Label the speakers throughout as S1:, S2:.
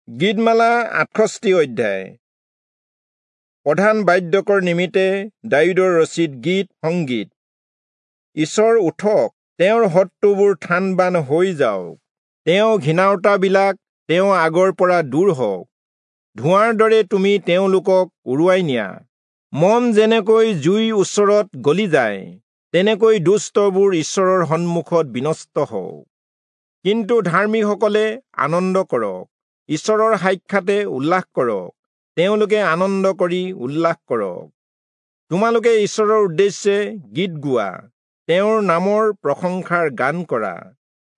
S1: গীতমালা 68 অধ্যায়। প্ৰধান বাদ্যকৰ নিমিত্তে দায়ূদৰ ৰচিত গীত সংগীত। ঈশ্বৰ উঠক, তেওঁৰ শত্ৰুবোৰ থান-বান হৈ যাওক, তেওঁ ঘিণাওতাবিলাক তেওঁ আগৰ পৰা দূৰ হওক। ধোঁৱাৰ দৰে তুমি তেওঁলোকক উৰুৱাই নিয়া। মম যেনেকৈ জুইৰ ওচৰত গলি যায়, তেনেকৈ দুষ্টবোৰ ঈশ্বৰৰ সন্মুখত বিনষ্ট হওক। কিন্তু ধাৰ্মিকসকলে আনন্দ কৰক, ঈশ্বৰৰ সাক্ষাতে উল্লাস কৰক, তেওঁলোকে আনন্দ কৰি উল্লাস কৰক। তোমালোকে ঈশ্বৰৰ উদ্দেশ্যে গীত গোৱা, তেওঁৰ নামৰ প্ৰশংসাৰ গান কৰা।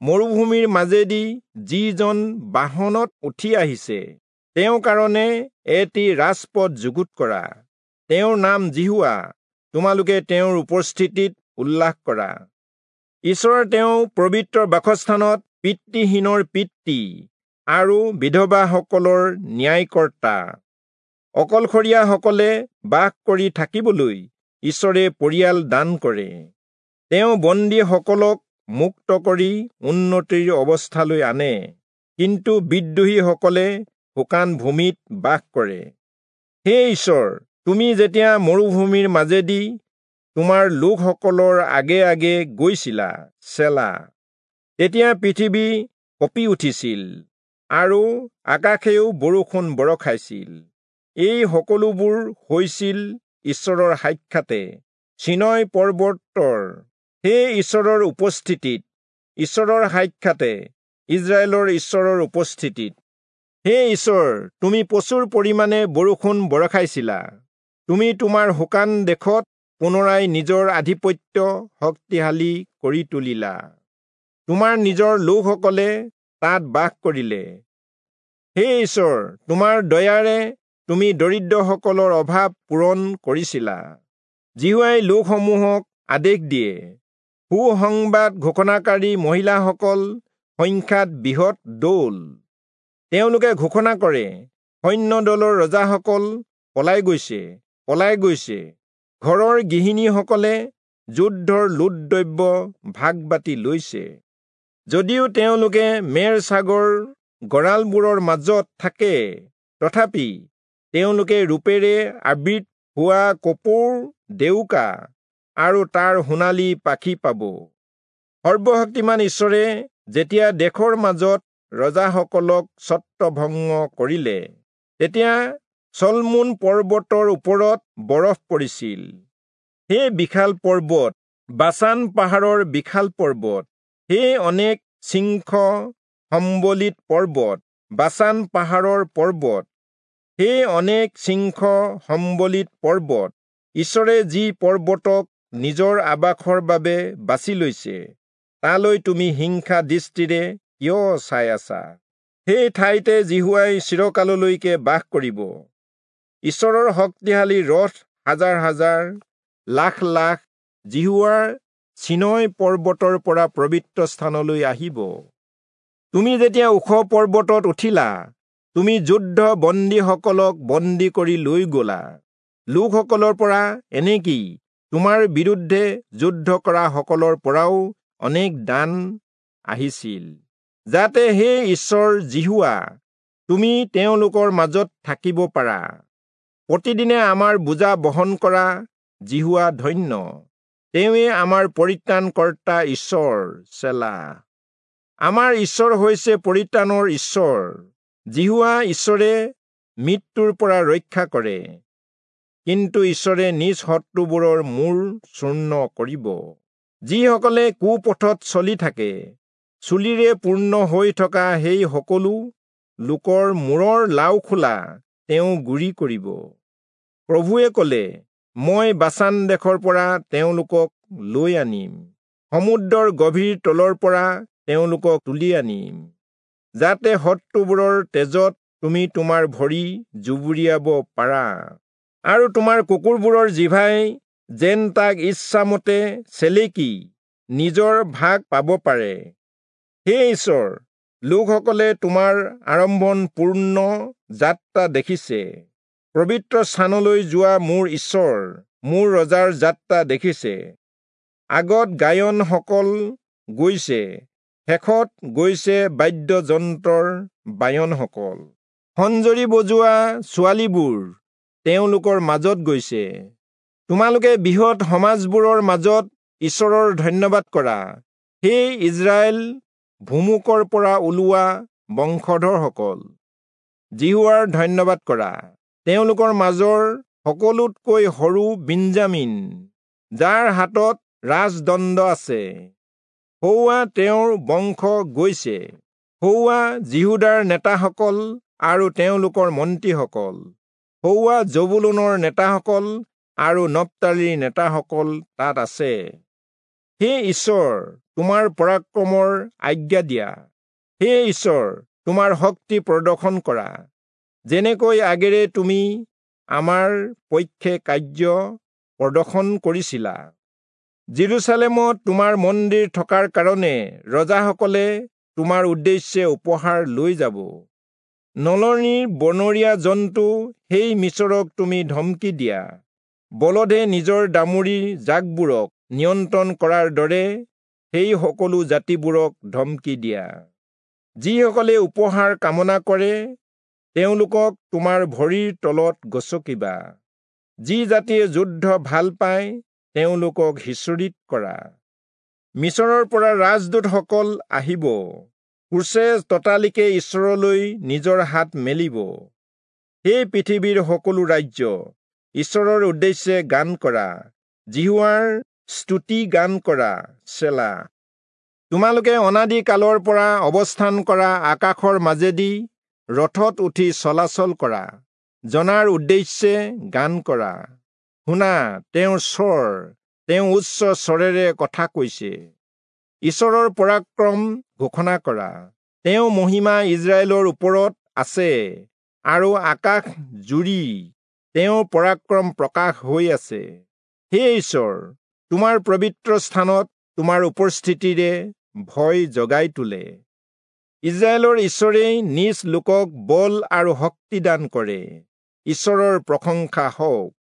S1: মৰুভূমিৰ মাজেদি যিজন বাহনত উঠি আহিছে, তেওঁৰ কাৰণে এটি ৰাজপথ যুগুত কৰা। তেওঁৰ নাম যিহোৱা, তোমালোকে তেওঁৰ উপস্থিতিত উল্লাস কৰা। ঈশ্বৰ তেওঁ পবিত্ৰ বাসস্থানত পিতৃহীনৰ পিতৃ আৰু বিধৱাসকলৰ ন্যায়কৰ্তা। অকলশৰীয়াসকলে বাস কৰি থাকিবলৈ ঈশ্বৰে পৰিয়াল দান কৰে। তেওঁ বন্দীসকলক মুক্ত কৰি উন্নতিৰ অৱস্থালৈ আনে, কিন্তু বিদ্ৰোহীসকলে শুকান ভূমিত বাস কৰে। হে ঈশ্বৰ, তুমি যেতিয়া মৰুভূমিৰ মাজেদি তোমাৰ লোকসকলৰ আগে আগে গৈছিলা, চেলা, তেতিয়া পৃথিৱী কঁপি উঠিছিল আৰু আকাশেও বৰষুণ বৰষাইছিল। এই সকলোবোৰ হৈছিল ঈশ্বৰৰ সাক্ষাতে, চিনয় পৰ্বতৰ সেই ঈশ্বৰৰ উপস্থিতিত, ঈশ্বৰৰ সাক্ষাতে, ইজৰাইলৰ ঈশ্বৰৰ উপস্থিতিত। হে ঈশ্বৰ, তুমি প্ৰচুৰ পৰিমাণে বৰষুণ বৰষাইছিলা। তুমি তোমাৰ শুকান দেশত পুনৰাই নিজৰ আধিপত্য শক্তিশালী কৰি তুলিলা। তোমাৰ নিজৰ লোকসকলে তাত বাস কৰিলে। হে ঈশ্বৰ, তোমাৰ দয়াৰে তুমি দৰিদ্ৰসকলৰ অভাৱ পূৰণ কৰিছিলা। যিহোৱাই লোকসমূহক আদেশ দিয়ে, সুসংবাদ ঘোষণাকাৰী মহিলাসকল সংখ্যাত বৃহৎ দল। তেওঁলোকে ঘোষণা কৰে, সৈন্যদলৰ ৰজাসকল পলাই গৈছে, পলাই গৈছে। ঘৰৰ গৃহিণীসকলে যুদ্ধৰ লুটদ্ৰব্য ভাগ বাটি লৈছে। যদিও তেওঁলোকে মেৰ ছাগৰ গঁৰালবোৰৰ মাজত থাকে, তথাপি তেওঁলোকে ৰূপেৰে আবৃত হোৱা কপৌৰ ডেউকা আৰু তাৰ সোণালী পাখি পাব। সৰ্বশক্তিমান ঈশ্বৰে যেতিয়া দেশৰ মাজত ৰজাসকলক ছত্ৰভংগ কৰিলে, তেতিয়া চলমোন পৰ্বতৰ ওপৰত বৰফ পৰিছিল। সেই বিশাল পৰ্বত, বাচান পাহাৰৰ বিশাল পৰ্বত, সেই অনেক শৃংখ সম্বলিত পৰ্বত, বাচান পাহাৰৰ পৰ্বত, সেই অনেক শৃংখ সম্বলিত পৰ্বত, ঈশ্বৰে যি পৰ্বতক নিজৰ আৱাসৰ বাবে বাছি লৈছে, তালৈ তুমি হিংসা দৃষ্টিৰে কিয় চাই আছা? সেই ঠাইতে যিহোৱাই চিৰকাললৈকে বাস কৰিব। ঈশ্বৰৰ শক্তিশালী ৰথ হাজাৰ হাজাৰ, লাখ লাখ যিহোৱাৰ চিনয় পৰ্বতৰ পৰা পবিত্ৰ স্থানলৈ আহিব। তুমি যেতিয়া ওখ পৰ্বতত উঠিলা, তুমি যুদ্ধ বন্দীসকলক বন্দী কৰি লৈ গলা। লোকসকলৰ পৰা, এনেকি তোমাৰ বিৰুদ্ধে যুদ্ধ কৰা সকলৰ পৰাও অনেক দান আহিছিল, যাতে হে ঈশ্বৰ যিহোৱা, তুমি তেওঁলোকৰ মাজত থাকিব পাৰা। প্ৰতিদিনে আমাৰ বোজা বহন কৰা যিহোৱা ধন্য, তেওঁৱে আমাৰ পৰিত্ৰাণকৰ্তা ঈশ্বৰ। চেলা। আমাৰ ঈশ্বৰ হৈছে পৰিত্ৰাণৰ ঈশ্বৰ। যিহোৱা ঈশ্বৰে মৃত্যুৰ পৰা ৰক্ষা কৰে, কিন্তু ঈশ্বৰে নিজ শত্ৰুবোৰৰ মূৰ চূৰ্ণ কৰিব। যিসকলে কুপথত চলি থাকে, চুলিৰে পূৰ্ণ হৈ থকা সেই সকলো লোকৰ মূৰৰ লাওখোলা তেওঁ গুৰি কৰিব। প্ৰভুৱে কলে, মই বাচান দেশৰ পৰা তেওঁলোকক লৈ আনিম, সমুদ্ৰৰ গভীৰ তলৰ পৰা তেওঁলোকক তুলি আনিম, যাতে শত্ৰুবোৰৰ তেজত তুমি তোমাৰ ভৰি জুবুৰিয়াব পাৰা, আৰু তোমাৰ কুকুৰবোৰৰ জিভাই যেন তাক ইচ্ছামতে চেলেকি নিজৰ ভাগ পাব পাৰে। হে ঈশ্বৰ, লোকসকলে তোমাৰ আড়ম্বৰপূৰ্ণ যাত্ৰা দেখিছে। পবিত্ৰ স্থানলৈ যোৱা মোৰ ঈশ্বৰ, মোৰ ৰজাৰ যাত্ৰা দেখিছে। আগত গায়নসকল গৈছে, শেষত গৈছে বাদ্যযন্ত্ৰৰ বায়নসকল। খঞ্জৰি বজোৱা ছোৱালীবোৰ তেওঁলোকৰ মাজত গৈছে। তোমালোকে বৃহৎ সমাজবোৰৰ মাজত ঈশ্বৰৰ ধন্যবাদ কৰা। হে ইস্ৰায়েল ভুমুকৰ পৰা ওলোৱা বংশধৰসকল, যিহোৱাৰ ধন্যবাদ কৰা। তেওঁলোকৰ মাজৰ সকলোতকৈ সৰু বিঞ্জামিন, যাৰ হাতত ৰাজদণ্ড আছে, সৌৱা তেওঁৰ বংশ গৈছে। সৌৱা যিহূদাৰ নেতাসকল আৰু তেওঁলোকৰ মন্ত্ৰীসকল, সৌৱা জবুলূনৰ নেতাসকল আৰু নপ্তালীৰ নেতাসকল তাত আছে। হে ঈশ্বৰ, তোমাৰ পৰাক্ৰমৰ আজ্ঞা দিয়া। হে ঈশ্বৰ, তোমাৰ শক্তি প্ৰদৰ্শন কৰা। যেনেকৈ আগেৰে তুমি আমাৰ পক্ষে কাৰ্য প্ৰদৰ্শন কৰিছিলা। জেৰুচালেমত তোমাৰ মন্দিৰ থকাৰ কাৰণে ৰজাসকলে তোমাৰ উদ্দেশ্যে উপহাৰ লৈ যাব। নলনীৰ বনৰীয়া জন্তু সেই মিচৰক তুমি ধমকি দিয়া। বলধে নিজৰ দামুৰিৰ জাকবোৰক নিয়ন্ত্ৰণ কৰাৰ দৰে সেই সকলো জাতিবোৰক ধমকি দিয়া। যিসকলে উপহাৰ কামনা কৰে তেওঁলোকক তোমাৰ ভৰিৰ তলত গচকিবা। যি জাতিয়ে যুদ্ধ ভাল পায় তেওঁলোকক সিঁচৰিত কৰা। মিচৰৰ পৰা ৰাজদূতসকল আহিব। ক্ৰুচে ততালিকে ঈশ্বৰলৈ নিজৰ হাত মেলিব। হে পৃথিৱীৰ সকলো ৰাজ্য, ঈশ্বৰৰ উদ্দেশ্যে গান কৰা, যিহোৱাৰ স্তুতি গান কৰা। চেলা। তোমালোকে অনাদি কালৰ পৰা অৱস্থান কৰা আকাশৰ মাজেদি ৰথত উঠি চলাচল কৰা জনাৰ উদ্দেশ্যে গান কৰা। শুনা, তেওঁৰ স্বৰ, তেওঁ উচ্চ স্বৰেৰে কথা কৈছে। ঈশ্বৰৰ পৰাক্ৰম ঘোষণা কৰা। তেওঁ মহিমা ইস্ৰায়েলৰ ওপৰত আছে আৰু আকাশ জুৰি তেওঁৰ পৰাক্ৰম প্ৰকাশ হৈ আছে। হে ঈশ্বৰ, তোমাৰ পবিত্ৰ স্থানত তোমাৰ উপস্থিতিৰে ভয় জগাই তোলে। ইস্ৰায়েলৰ ঈশ্বৰেই নিজ লোকক বল আৰু শক্তি দান কৰে। ঈশ্বৰৰ প্ৰশংসা হওক।